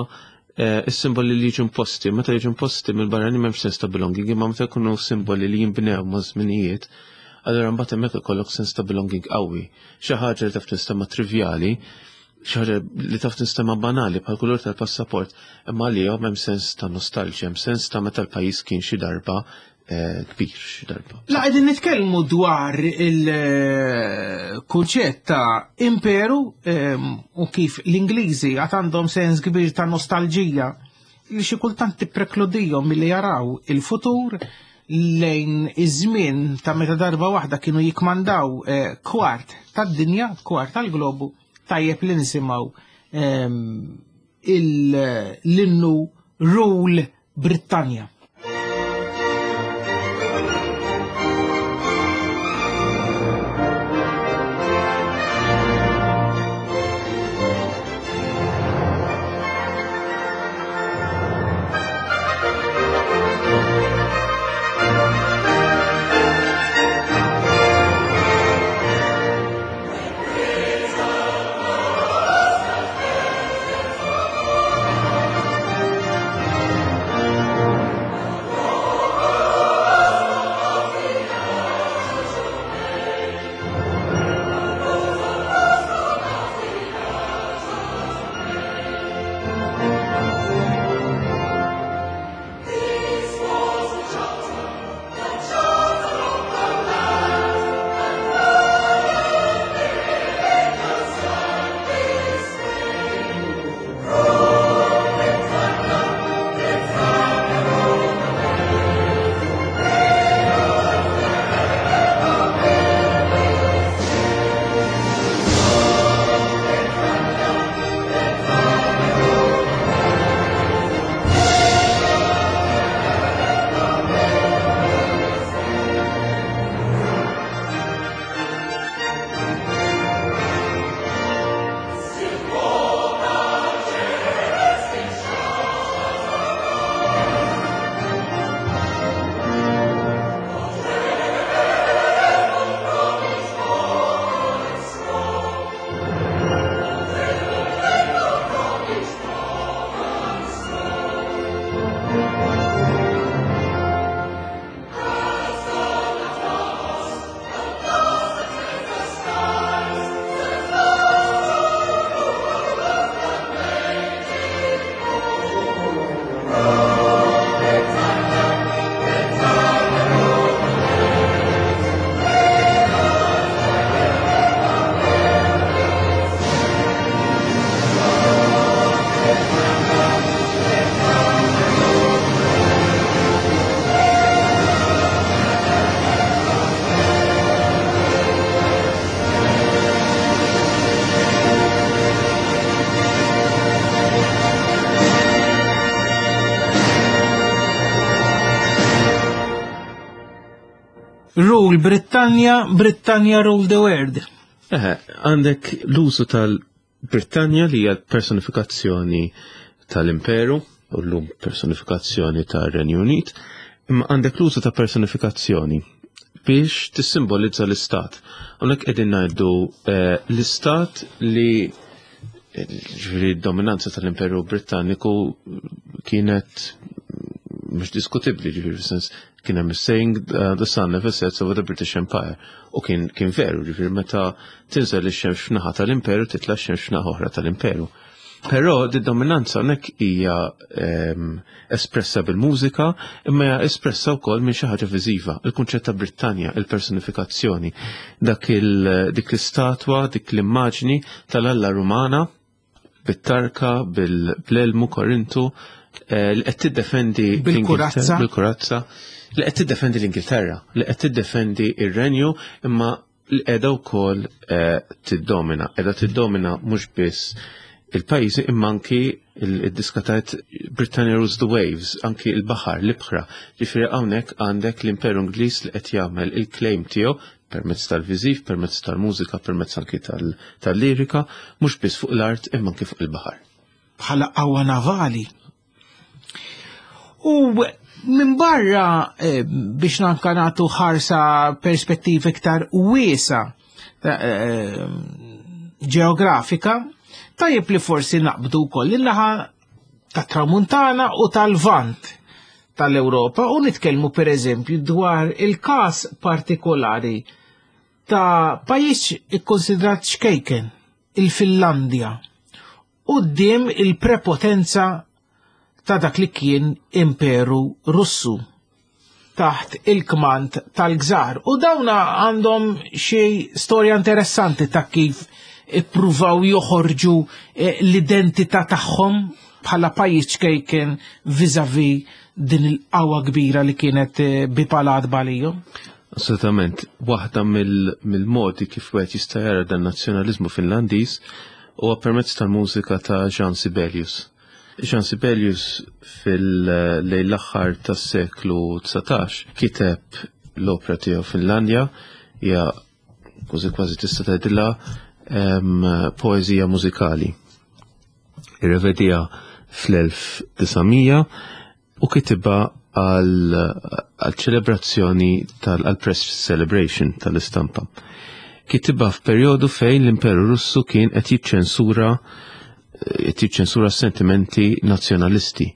eh, is-simboli li jiġu imposti, meta jiġu imposti mill-barrani m'hemmx sens ta' belonging, imma meta jkunu simboli li jinbnew ma' żminijiet, allura mbagħad hemmhekk ikollok sens ta' belonging qawwi. Xi ħaġa li taf tinstema' trivjali, xi ħaġa li taf tinstema' banali bħal kulur tal-passaport, imma għalihom hemm sens ta' nostalġja, hemm sens ta' meta l-pajjiż kien xi darba eh, kbir xi darba. La qegħdin nitkellmu dwar il-kunċett ta' imperu ehm, u kif l-Ingliżi għad għandhom sens kbir ta' nostalġija li xi kultant tipprekludihom milli jaraw il-futur lejn iż-żmien ta' meta darba waħda kienu jikmandaw eh, kwart tad-dinja, kwart tal-globu, tajjeb li nisimgħu ehm, l-innu Rule Brittanja. Rule Britannia, Britannia rule the world. Eħe, għandek l-użu tal-Britannia li hija personifikazzjoni tal-Imperu, u llum personifikazzjoni tar-Renju Unit, imma għandek l-użu ta' personifikazzjoni biex tissimbolizza l-istat. Hawnhekk qegħdin ngħidu eh, l-istat li ġifieri d-dominanza tal-Imperu Britanniku kienet mhux diskutibbli, ġifieri sens kien hemm saying uh, the sun never sets over the British Empire. U kien kien veru, ġifieri meta tinżel ix-xemx f'naħa tal-imperu titla' x-xemx f'naħa oħra tal-imperu. Però di dominanza hawnhekk hija ehm, espressa bil-mużika, imma hija espressa wkoll minn xi ħaġa viżiva, il-kunċett ta' Brittanja, il-personifikazzjoni, dak il dik l-istatwa, dik l-immaġni tal-Alla Rumana bit-tarka, bil-elmu Korintu, eh, li qed tiddefendi bil-kurazza, bil-kurazza, li qed tiddefendi l-Ingilterra, li qed tiddefendi ir-renju, imma li qiegħda wkoll eh, tiddomina. Qiegħda tiddomina mhux biss il-pajjiżi imma anki il-diska tajt Britannia Rules the Waves, anki il-baħar, l-ibħra. Ġifieri hawnhekk għandek l-Imperu Ingliż li qed jagħmel il-claim tiegħu permezz tal-viżiv, permezz tal-mużika, permezz anki tal-lirika, mhux biss fuq l-art imma anki fuq il-baħar. Bħala qawwa navali. U minn barra eh, biex nanka nagħtu ħarsa perspettiva iktar wiesa eh, ġeografika, tajjeb li forsi naqbdu wkoll in-naħa tat-Tramuntana u tal-Vant tal-Ewropa u nitkellmu pereżempju dwar il-każ partikolari ta' pajjiż ikkonsidrat xkejken, il-Finlandja quddiem il-prepotenza ta' dak li kien Imperu Russu taħt il-kmand tal-Gżar. U dawna għandhom xi storja interessanti ta' kif ippruvaw joħorġu eh, l-identità tagħhom bħala pajjiż ċkejken viżavi din il-qawwa kbira li kienet eh, bipalat balijhom. Assolutament, waħda mill-modi kif wieħed jista' jara dan nazzjonaliżmu Finlandiż huwa permezz tal-mużika ta' Jean Sibelius. Jean Sibelius fil-lejl l-aħħar tas-seklu 19 kiteb l-opra tiegħu Finlandja hija kważi kważi tista' tgħidilha poeżija mużikali. Irrevedija fl-1900 u kitibha għal ċelebrazzjoni tal-press celebration tal-istampa. Kitibha f'perjodu fejn l-Imperu Russu kien qed jiċċensura qed jiċċensura sentimenti nazzjonalisti.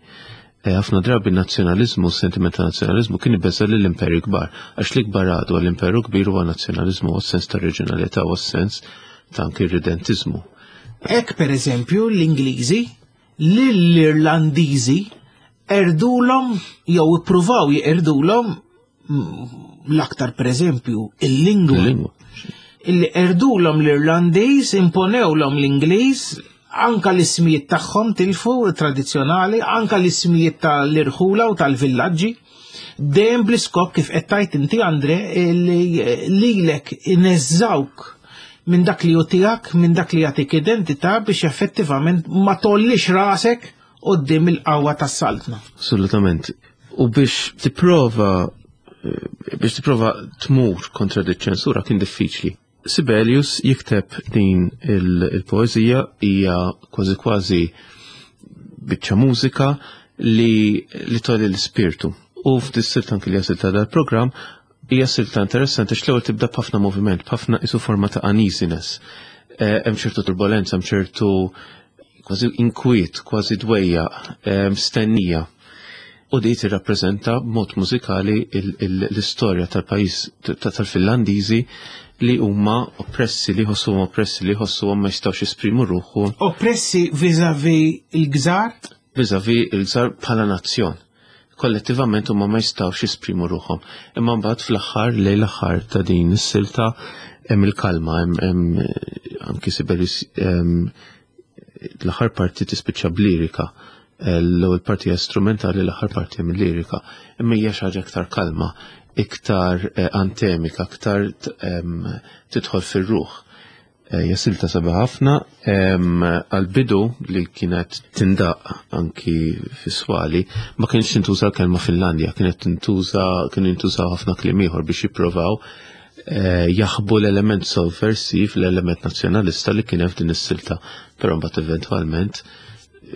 E, ħafna drabi nazzjonaliżmu, sentiment ta' nazzjonaliżmu kien ibeża lill imperu kbar, għax l-ikbar għadu għall-imperu kbir huwa nazzjonaliżmu u sens ta' reġjonalità u sens ta' anki ridentiżmu. Hekk pereżempju l-Ingliżi lill-Irlandiżi erdulhom jew ippruvaw jeqrdulhom mm, l-aktar pereżempju il-lingwa. Illi erdulhom l-Irlandiż, imponewlhom l-Ingliż, anka l-ismijiet tagħhom tilfu tradizzjonali, anka l-ismijiet tal-irħula u tal-villaġġi. Dejjem bl-iskop kif qed tgħid inti Andre li lilek ineżżawk minn dak li hu tiegħek, minn dak li jagħtik identità biex effettivament ma tollix rasek quddiem il-qawwa tas-saltna. Assolutament. U biex tipprova eh, biex tipprova tmur kontra di ċensura kien diffiċli. Sibelius jikteb din il-poeżija hija kważi kważi biċċa mużika li li tolli l-ispirtu. U f'dis-silta anki li silta dal-programm hija silta interessanti għax l-ewwel tibda b'ħafna moviment, b'ħafna isu forma ta' uneasiness. Eh, hemm ċertu turbolenza, hemm ċertu kważi inkwiet, kważi dwejja, eh, stennija. U di tirrappreżenta b'mod mużikali l-istorja tal-pajjiż tal-Finlandiżi li huma oppressi, li jħossuhom oppressi, li jħossuhom ma jistgħux jesprimu ruħhom. Oppressi vis-a-vis il-gżar? Vis-a-vis il-gżar bħala nazzjon. Kollettivament huma ma jistgħux jesprimu ruħhom. Imma mbagħad fl-aħħar lejn l-aħħar ta' din is-silta hemm il-kalma, hemm anki Sibelius l-aħħar parti tispiċċa b'lirika. L-ewwel parti hija strumentali, l-aħħar parti hemm lirika. Imma hija xi ħaġa iktar kalma, iktar eh, antemika, iktar tidħol fir-ruħ. Eh, hija silta sabiħa ħafna għal-bidu li kienet tindaq anki fis-swali ma kienx tintuża l-kelma Finlandja, kienet tintuża kienu jintużaw ħafna kliem ieħor biex jipprovaw eh, jaħbu l-element sovversiv, l-element nazzjonalista li kien hemm f'din is-silta, però mbagħad eventwalment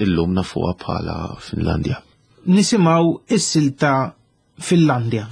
illum nafuha bħala Finlandja. Nisimgħu is-silta Finlandja.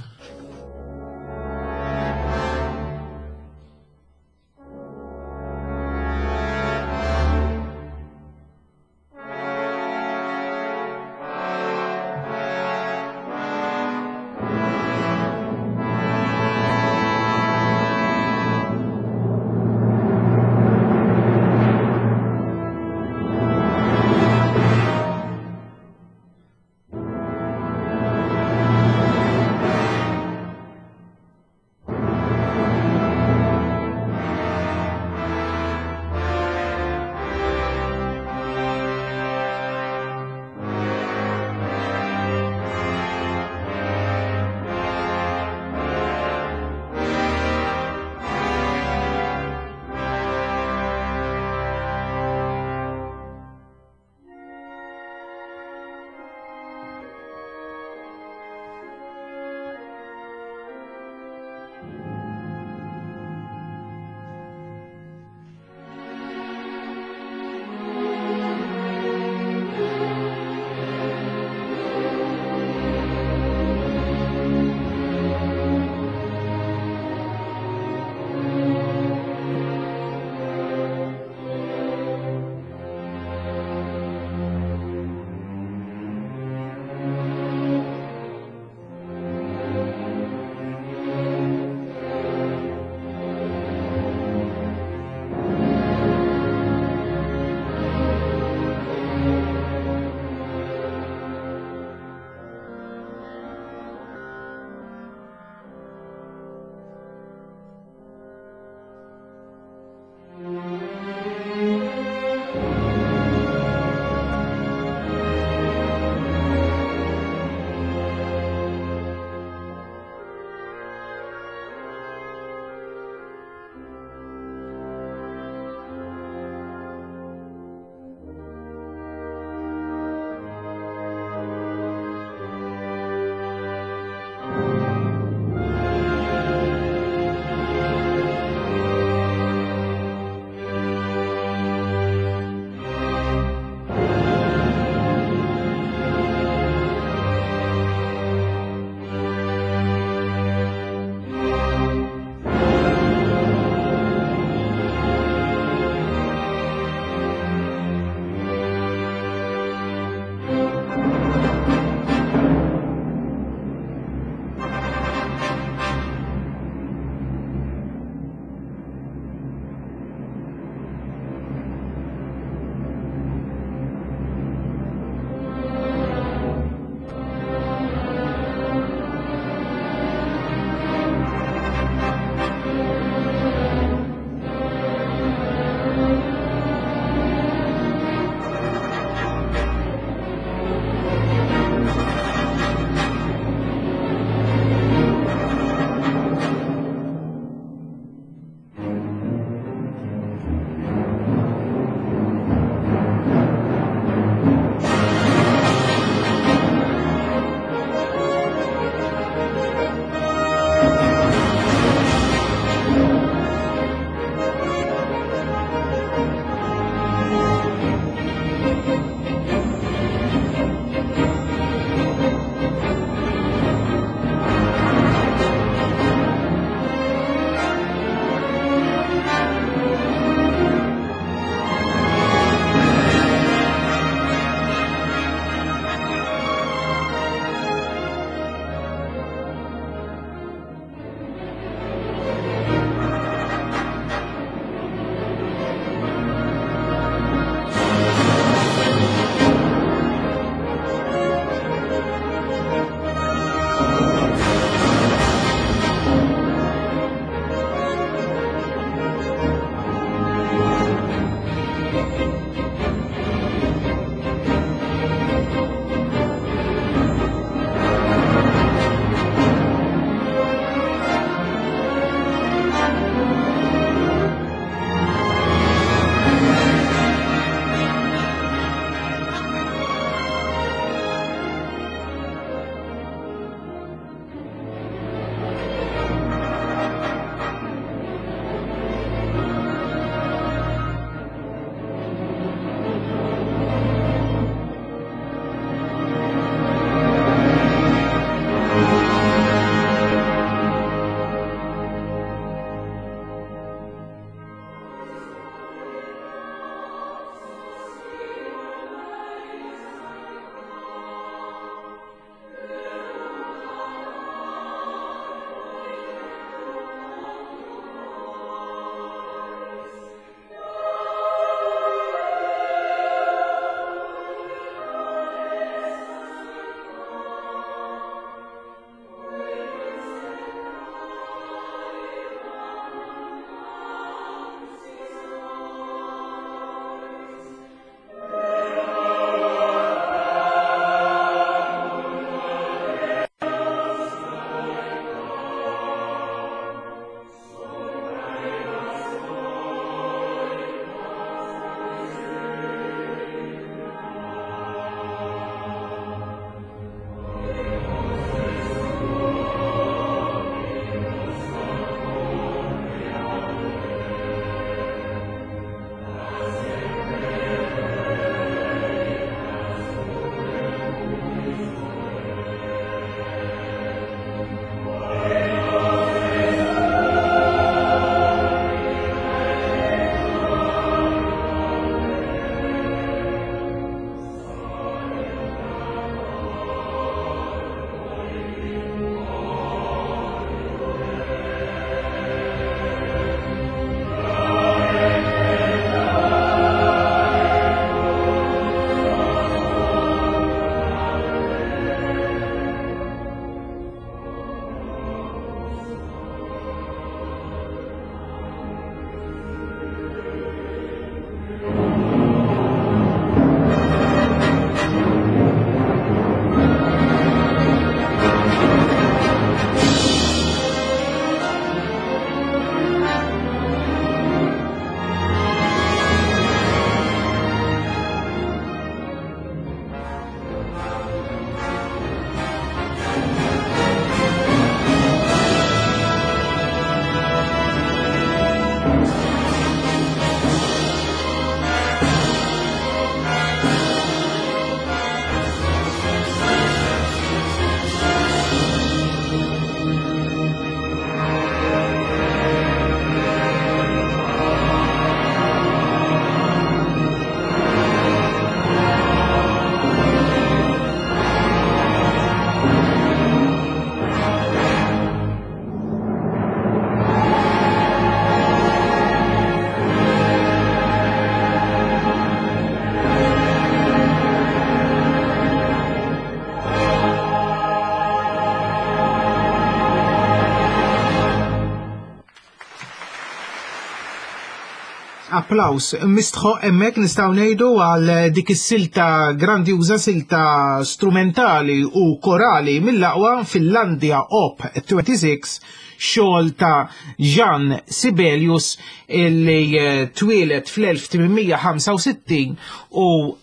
Applaus mistħoq hemmhekk nistgħu ngħidu għal dik is-silta grandjuża silta strumentali u korali mill-aqwa Finlandia Op 26 xogħol ta' Jean Sibelius illi eh, twieled fl-1865 u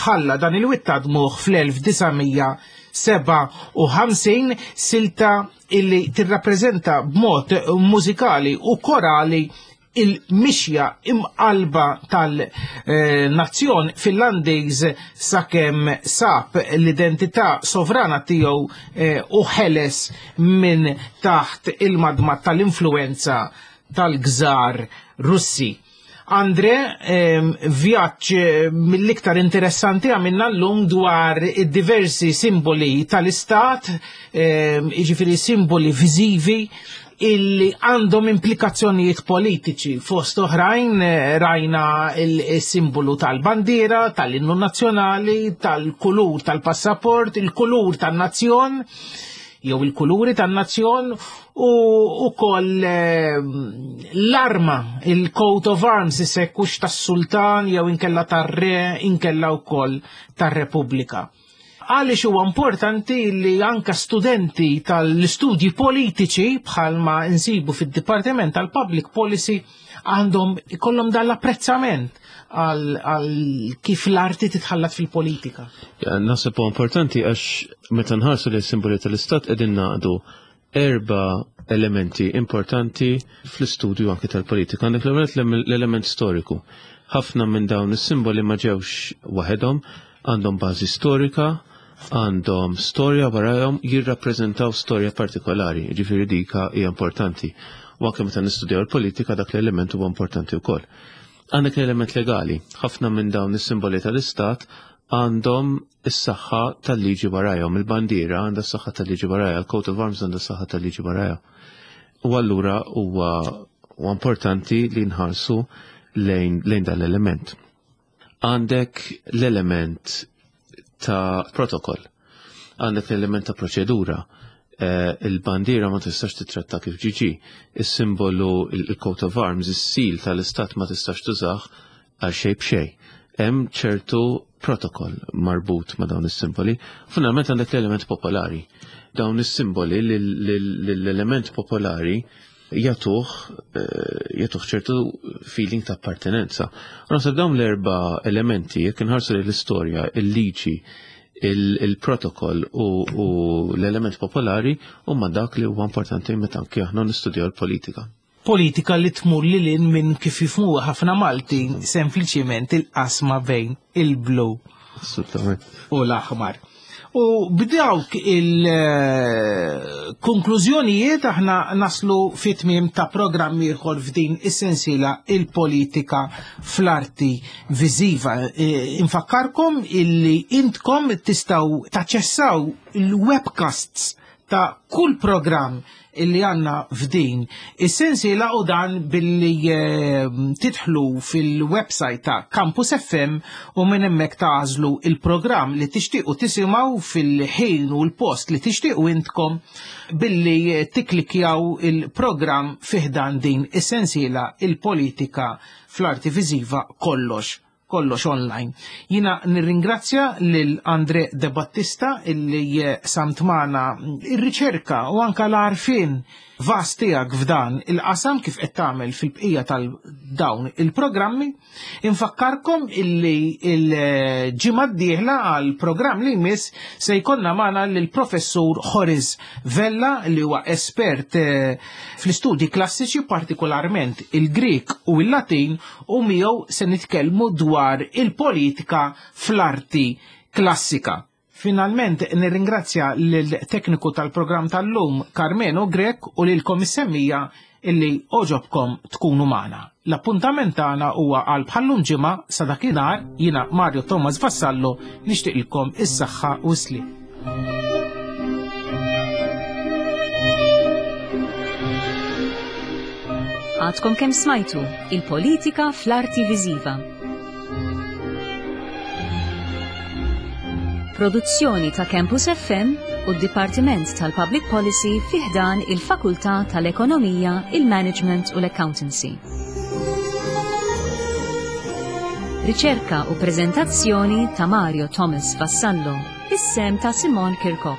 ħalla dan il-witt ta' dmugħ fl-1957 silta illi tirrappreżenta b'mod mużikali u korali il-mixja imqalba tal-nazzjon Finlandiż sakemm sab l-identità sovrana tiegħu eh, u ħeles minn taħt il-madma tal-influenza tal-gżar Russi. Andre, vjaġġ eh, mill-iktar interessanti għamilna l-lum dwar diversi simboli tal-istat, jiġifieri simboli viżivi illi għandhom implikazzjonijiet politiċi. Fost oħrajn eh, rajna il-simbolu tal-bandiera, tal-innu nazzjonali, tal-kulur tal-passaport, il-kulur tan-nazzjon, jew il-kuluri tan-nazzjon u ukoll eh, l-arma, il-coat of arms, is-sekkux tas-sultan jew inkella tar-re, inkella wkoll tar-repubblika. Għaliex huwa importanti li anka studenti tal-istudji politiċi bħalma nsibu fid-Dipartiment tal-Public Policy għandhom ikollhom dan l-apprezzament għal kif l-arti titħallat fil-politika. Naħseb huwa importanti għax meta nħarsu li simboli tal-istat qegħdin naqdu erba' elementi importanti fl-istudju anki tal-politika. Għandek l-element storiku. Ħafna minn dawn is-simboli ma ġewx waħedhom, għandhom bażi storika, għandhom storja warajhom jirrappreżentaw storja partikolari, ġifieri dika hija importanti. U anke meta nistudjaw il-politika dak l-element huwa importanti wkoll. Għandek l-element legali. Ħafna minn dawn is-simboli tal-istat għandhom is-saħħa tal-liġi warajhom. Il-bandiera għandha s-saħħa tal-liġi warajha, il-coat of arms għandha s-saħħa tal-liġi warajha. U allura huwa importanti li nħarsu lejn, lejn dan l-element. Għandek l-element ta' protokoll, għandek l-element ta' proċedura, eh, il-bandiera ma tistax titratta kif ġiġi, is-simbolu il-coat of arms, is-sil tal-istat ma tistax tużah għal xejn b'xejn. Hemm ċertu protokoll marbut ma' dawn is-simboli. Finalment għandek l-element popolari. Dawn is-simboli l-element popolari jagħtuh eh, jagħtuh ċertu feeling ta' appartenenza. U naħseb dawn l-erba' elementi jekk inħarsu l-istorja, il-liġi, il-protokoll u l-element popolari huma dak li huwa importanti meta anke aħna nistudjaw il-politika. Politika li tmur lil hinn minn kif jifhmuha ħafna Maltin, sempliċiment il-qasma bejn il-blu u l-aħmar. U b'dawk il-konklużjonijiet aħna naslu fit-tmiem ta' programm ieħor f'din is-sensiela il-politika fl-arti viżiva. E, infakkarkom illi intkom tistgħu taċċessaw il-webcasts ta' kull programm illi għanna f'din is-sensiela u dan billi eh, tidħlu fil-website ta' Campus FM u minn hemmhekk tagħżlu il-programm li tixtiequ tisimgħu fil-ħin u l-post li tixtiequ intkom billi eh, tiklikjaw il-programm fiħdan din is-sensiela il-politika fl-arti viżiva kollox kollox online. Jina nirringrazzja lil Andre De Battista illi eh, samt magħna ir-riċerka u anka l-għarfien vast tiegħek f'dan il-qasam kif qed tagħmel fil-bqija tal-dawn il-programmi. Infakkarkom illi il-ġimgħa d-dieħla għal programm li jmiss se jkollna magħna lill-professur Horis Vella li huwa espert eh, fl-istudji klassiċi partikolarment il-Grik u il-Latin u miegħu se nitkellmu dwar il-politika fl-arti klassika. Finalment nirringrazzja lill-tekniku tal-programm tal-lum Carmeno Grech u lilkom is-semmija illi oġobkom tkunu magħna. L-appuntament tagħna huwa għal bħallum ġimgħa sa dakinhar jiena Mario Thomas Vassallo nixtieqilkom is-saħħa u s-sliem. Għadkom kemm smajtu il-politika fl-arti viżiva. Produzzjoni ta' Campus FM u d-Dipartiment tal-Public Policy fi ħdan il-Fakultà tal-Ekonomija, il-Management u l-Accountancy. Riċerka u preżentazzjoni ta' Mario Thomas Vassallo, bis-sehem ta' Simon Kirkop.